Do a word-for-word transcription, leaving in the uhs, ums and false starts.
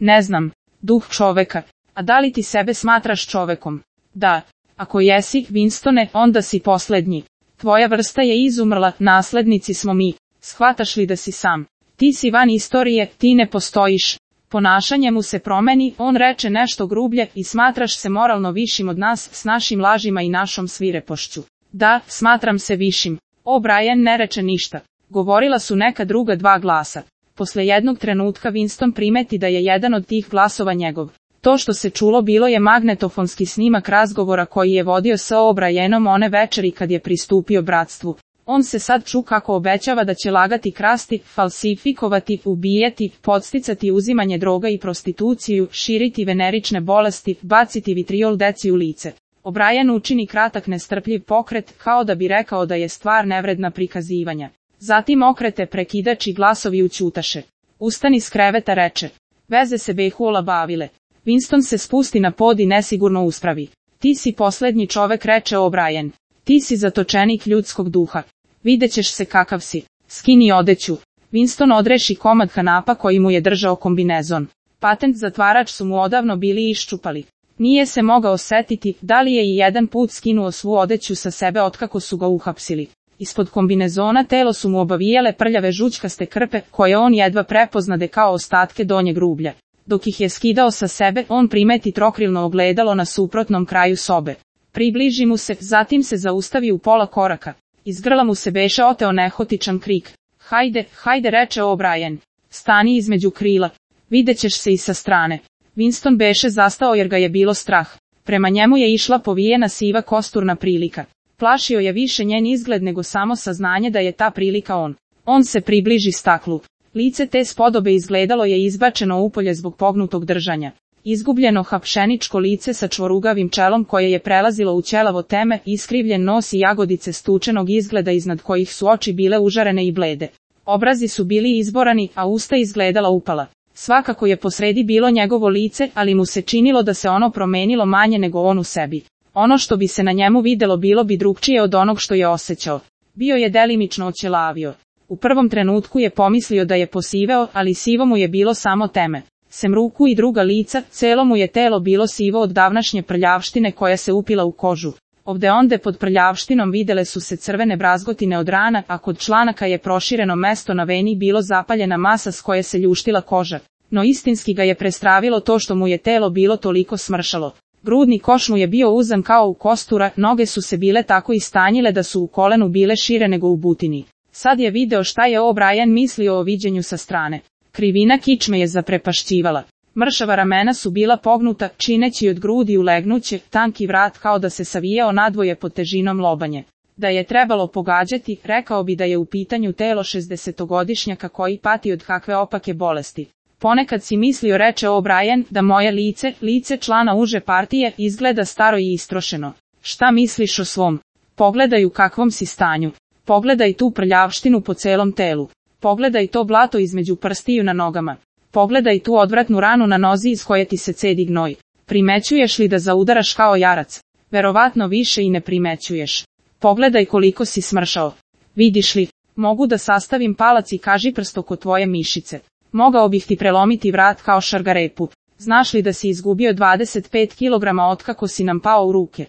Ne znam. Duh čoveka. A da li ti sebe smatraš čovekom? Da. Ako jesi, Winstone, onda si poslednji. Tvoja vrsta je izumrla, naslednici smo mi. Shvataš li da si sam? Ti si van istorije, ti ne postojiš. Ponašanje mu se promeni, on reče nešto grublje i smatraš se moralno višim od nas s našim lažima i našom svirepošću. Da, smatram se višim. O'Brien ne reče ništa. Govorila su neka druga dva glasa. Posle jednog trenutka Winston primeti da je jedan od tih glasova njegov. To što se čulo bilo je magnetofonski snimak razgovora koji je vodio sa O'Brienom one večeri kad je pristupio bratstvu. On se sad ču kako obećava da će lagati, krasti, falsifikovati, ubijati, podsticati uzimanje droga i prostituciju, širiti venerične bolesti, baciti vitriol deci u lice. O'Brien učini kratak nestrpljiv pokret, kao da bi rekao da je stvar nevredna prikazivanja. Zatim okrete prekidač i glasovi ućutaše. Ustani s kreveta, reče. Veze se behu olabavile. Winston se spusti na pod i nesigurno uspravi. Ti si poslednji čovek, reče O'Brien. Ti si zatočenik ljudskog duha. Videćeš se kakav si. Skini odeću. Winston odreši komad kanapa koji mu je držao kombinezon. Patent zatvarač su mu odavno bili iščupali. Nije se mogao setiti da li je i jedan put skinuo svu odeću sa sebe otkako su ga uhapsili. Ispod kombinezona telo su mu obavijale prljave žućkaste krpe koje on jedva prepoznade kao ostatke donjeg rublja. Dok ih je skidao sa sebe, on primeti trokrilno ogledalo na suprotnom kraju sobe. Približi mu se, zatim se zaustavi u pola koraka. Iz grla mu se beše oteo nehotičan krik. Hajde, hajde, reče O'Brien. Stani između krila. Videćeš se i sa strane. Winston beše zastao jer ga je bilo strah. Prema njemu je išla povijena siva kosturna prilika. Plašio je više njen izgled nego samo saznanje da je ta prilika on. On se približi staklu. Lice te spodobe izgledalo je izbačeno upolje zbog pognutog držanja. Izgubljeno hapšeničko lice sa čvorugavim čelom koje je prelazilo u ćelavo teme, iskrivljen nos i jagodice stučenog izgleda iznad kojih su oči bile užarene i blede. Obrazi su bili izborani, a usta izgledala upala. Svakako je posredi bilo njegovo lice, ali mu se činilo da se ono promenilo manje nego on u sebi. Ono što bi se na njemu videlo bilo bi drugčije od onog što je osjećao. Bio je delimično oćelavio. U prvom trenutku je pomislio da je posiveo, ali sivo mu je bilo samo teme. Sem ruku i druga lica, celo mu je telo bilo sivo od davnašnje prljavštine koja se upila u kožu. Ovde onde pod prljavštinom videle su se crvene brazgotine od rana, a kod članaka je prošireno mesto na veni bilo zapaljena masa s koje se ljuštila koža. No istinski ga je prestravilo to što mu je telo bilo toliko smršalo. Grudni koš mu je bio uzan kao u kostura, noge su se bile tako istanjile da su u kolenu bile šire nego u butini. Sad je video šta je O'Brien mislio o viđenju sa strane. Krivina kičme je zaprepašćivala. Mršava ramena su bila pognuta, čineći od grudi ulegnuće, tanki vrat kao da se savijao nadvoje pod težinom lobanje. Da je trebalo pogađati, rekao bi da je u pitanju telo šezdesetogodišnjaka koji pati od kakve opake bolesti. Ponekad si mislio, reče O'Brien, da moje lice, lice člana uže partije, izgleda staro i istrošeno. Šta misliš o svom? Pogledaj u kakvom si stanju. Pogledaj tu prljavštinu po celom telu. Pogledaj to blato između prstiju na nogama. Pogledaj tu odvratnu ranu na nozi iz koje ti se cedi gnoj. Primećuješ li da zaudaraš kao jarac? Verovatno više i ne primećuješ. Pogledaj koliko si smršao. Vidiš li, mogu da sastavim palac i kažiprst oko tvoje mišice. Mogao bih ti prelomiti vrat kao šargarepu. Znaš li da si izgubio dvadeset pet kilograma otkako si nam pao u ruke?